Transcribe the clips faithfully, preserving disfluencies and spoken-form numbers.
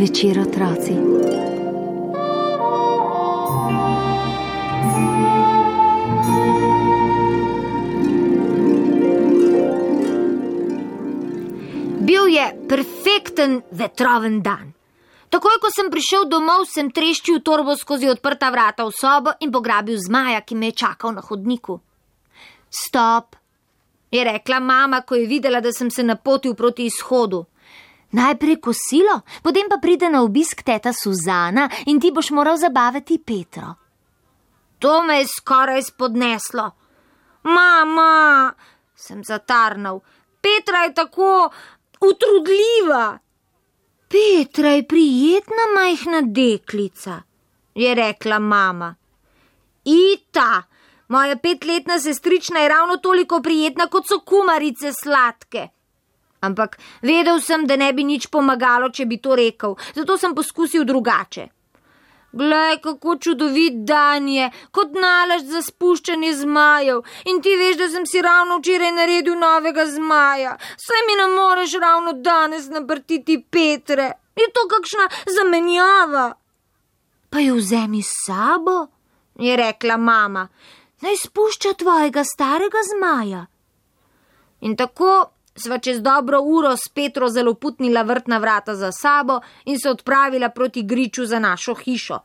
večer, otroci. Bil je perfekten vetroven dan. Takoj, ko sem prišel domov, sem treščil torbo skozi odprta vrata v sobo in pograbil zmaja, ki me je čakal na hodniku. Stop, je rekla mama, ko je videla, da sem se napotil proti izhodu. Najprej kosilo, potem pa pride na obisk teta Suzana in ti boš moral zabavati Petro. To me je skoraj spodneslo. Mama, sem zatarnal, Petra je tako utrudljiva. Petra je prijetna majhna deklica, je rekla mama. Ita, moja petletna sestrična je ravno toliko prijetna, kot so kumarice sladke. Ampak vedel sem, da ne bi nič pomagalo, če bi to rekel, zato sem poskusil drugače. Glej, kako čudovit dan je, kot nalašč za spuščanje zmajev. In ti veš, da sem si ravno včeraj naredil novega zmaja. Saj mi ne moreš ravno danes naprtiti Petre. Je to kakšna zamenjava? Pa jo vzemi s sabo, je rekla mama. Naj spušča tvojega starega zmaja. In tako sva čez dobro uro s Petro zaloputnila vrtna vrata za sabo in se odpravila proti griču za našo hišo.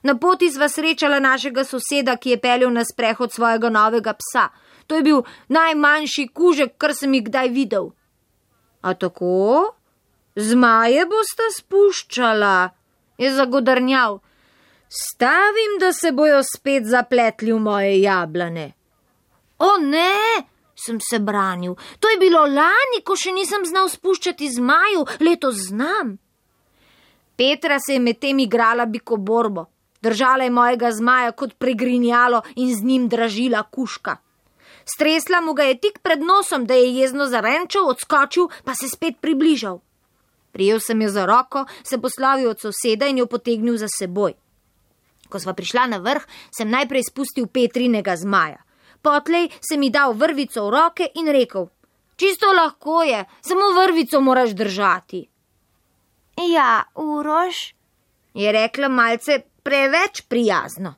Na poti sva srečala našega soseda, ki je peljal na sprehod svojega novega psa. To je bil najmanjši kužek, kar sem jih kdaj videl. A tako? Zmaje bosta spuščala, je zagodrnjal. Stavim, da se bojo spet zapletli v moje jablane. O ne! Sem se branil. To je bilo lani, ko še nisem znal spuščati zmaju, letos znam. Petra se je med tem igrala bikoborbo. Držala je mojega zmaja kot pregrinjalo in z njim dražila kužka. Stresla mu ga je tik pred nosom, da je jezno zarenčal, odskočil, pa se spet približal. Prijel sem jo za roko, se poslovil od soseda in jo potegnil za seboj. Ko sva prišla na vrh, sem najprej spustil Petrinega zmaja. Potlej sem mi dal vrvico v roke in rekel, čisto lahko je, samo vrvico moraš držati. Ja, Uroš, je rekla malce preveč prijazno.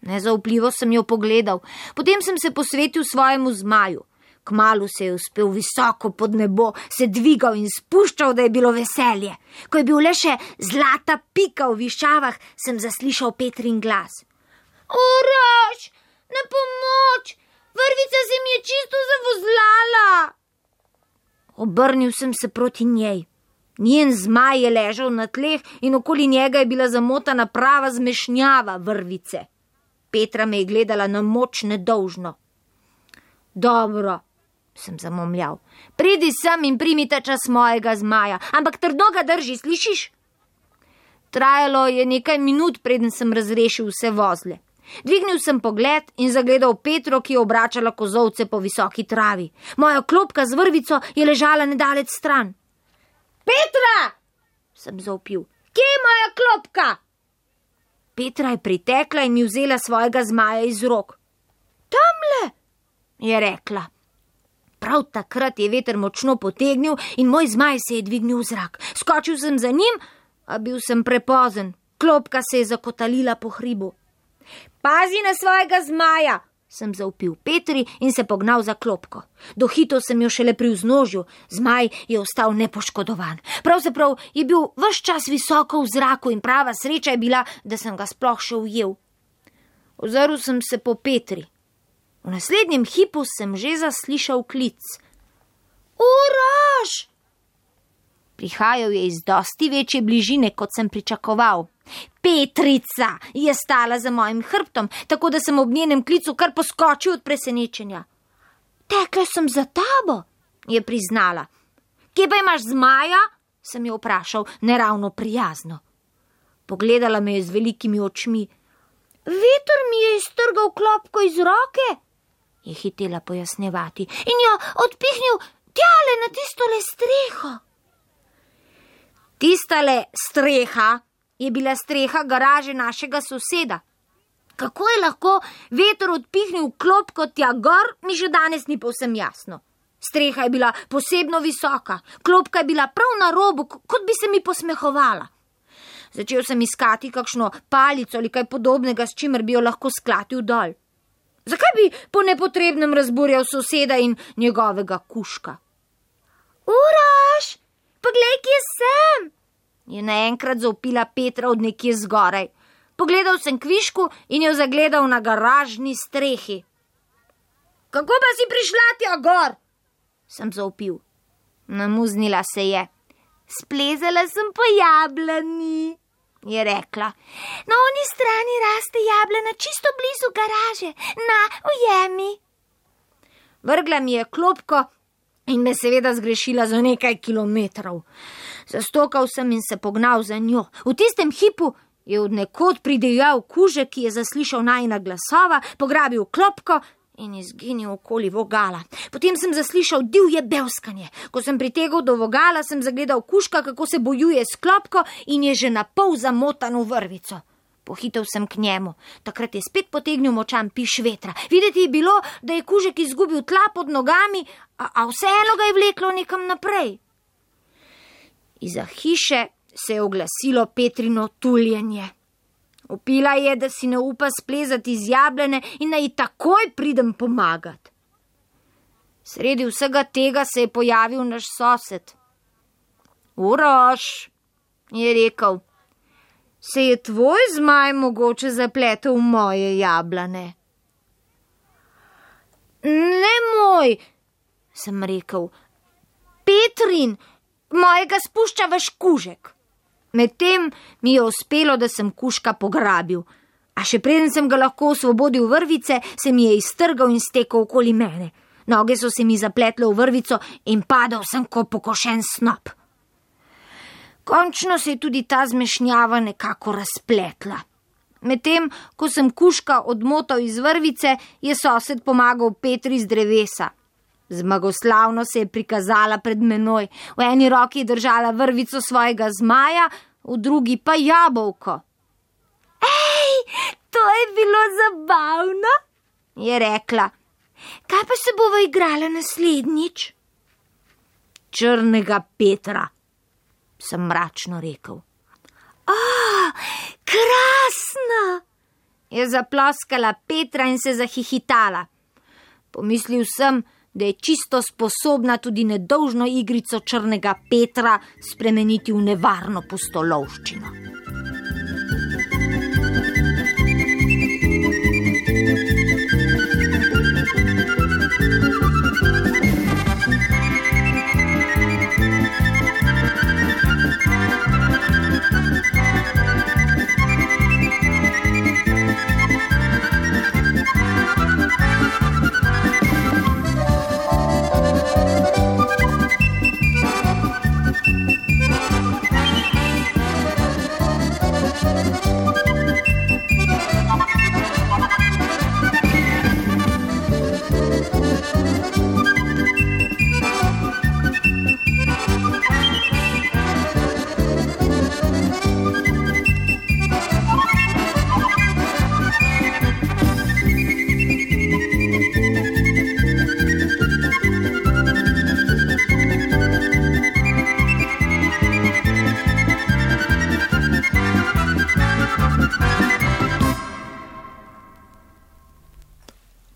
Nezaupljivo sem jo pogledal, potem sem se posvetil svojemu zmaju. Kmalu se je uspel visoko pod nebo, se dvigal in spuščal, da je bilo veselje. Ko je bil le še zlata pika v višavah, sem zaslišal Petrin glas. Uroš! Na pomoč! Vrvica se mi je čisto zavozlala! Obrnil sem se proti njej. Njen zmaj je ležal na tleh in okoli njega je bila zamotana prava zmešnjava vrvice. Petra me je gledala na moč nedolžno. Dobro, sem zamomljal. Pridi sem in primi ta čas mojega zmaja, ampak trdo ga drži, slišiš? Trajalo je nekaj minut, preden sem razrešil vse vozle. Dvignil sem pogled in zagledal Petro, ki je obračala kozovce po visoki travi. Moja klopka z vrvico je ležala nedalec stran. Petra! Sem zavpil. Kje je moja klopka? Petra je pritekla in mi vzela svojega zmaja iz rok. Tamle, je rekla. Prav takrat je veter močno potegnil in moj zmaj se je dvignil v zrak. Skočil sem za njim, a bil sem prepozen. Klopka se je zakotalila po hribu. Pazi na svojega zmaja, sem zavpil Petri in se pognal za klopko. Dohitel sem jo šele pri vznožju, zmaj je ostal nepoškodovan. Pravzaprav je bil ves čas visoko v zraku in prava sreča je bila, da sem ga sploh še ujel. Ozrl sem se po Petri. V naslednjem hipu sem že zaslišal klic. Uroš! Prihajal je iz dosti večje bližine, kot sem pričakoval. Petrica je stala za mojim hrbtom, tako da sem ob njenem klicu kar poskočil od presenečenja. Tekla sem za tabo, je priznala. Kje pa imaš zmaja? Sem jo vprašal, neravno prijazno. Pogledala me je z velikimi očmi. Veter mi je iztrgal klopko iz roke, je hitela pojasnjevati, in jo odpihnil tjale na tistole streho. Tistale streha je bila streha garaže našega soseda. Kako je lahko veter odpihnil klopko tja gor, mi še danes ni povsem jasno. Streha je bila posebno visoka, klopka je bila prav na robu, kot bi se mi posmehovala. Začel sem iskati kakšno palico ali kaj podobnega, s čimer bi jo lahko sklatil dol. Zakaj bi po nepotrebnem razburjal soseda in njegovega kužka? Uroš, poglej, kje sem, je naenkrat zavpila Petra od nekje zgoraj. Pogledal sem kvišku in jo zagledal na garažni strehi. Kako pa si prišla tja gor? Sem zavpil. Namuznila se je. Splezala sem po jablani, je rekla. Na oni strani raste jablana, čisto blizu garaže. Na, ujemi. Vrgla mi je klopko in me seveda zgrešila za nekaj kilometrov. Zastokal sem in se pognal za njo. V tistem hipu je od nekod pridejal kužek, ki je zaslišal najina glasova, pograbil klopko in izginil okoli vogala. Potem sem zaslišal divje bevskanje. Ko sem pritegal do vogala, sem zagledal kužka, kako se bojuje s klopko in je že na pol zamotan v vrvico. Pohitel sem k njemu. Takrat je spet potegnil močan piš vetra. Videti je bilo, da je kužek izgubil tla pod nogami, a, a vseeno ga je vleklo nekam naprej. Iza hiše se je oglasilo Petrino tuljenje. Opila je, da si ne upa splezati iz jablane in da ji takoj pridem pomagat. Sredi vsega tega se je pojavil naš sosed. Uroš, je rekel, se je tvoj zmaj mogoče zapletel v moje jablane? Ne moj, sem rekel, Petrin, mojega spušča vaš kužek. Medtem mi je uspelo, da sem kužka pograbil, a še preden sem ga lahko osvobodil vrvice, se mi je iztrgal in stekel okoli mene. Noge so se mi zapletle v vrvico in padal sem kot pokošen snop. Končno se je tudi ta zmešnjava nekako razpletla. Medtem, ko sem kužka odmotal iz vrvice, je sosed pomagal Petri z drevesa. Zmagoslavno se je prikazala pred menoj. V eni roki je držala vrvico svojega zmaja, v drugi pa jabolko. Ej, to je bilo zabavno, je rekla. Kaj pa se bova igrala naslednjič? Črnega Petra, sem mračno rekel. O, krasno, je zaploskala Petra in se zahihitala. Pomislil sem, da je čisto sposobna tudi nedolžno igrico črnega Petra spremeniti v nevarno pustolovščino.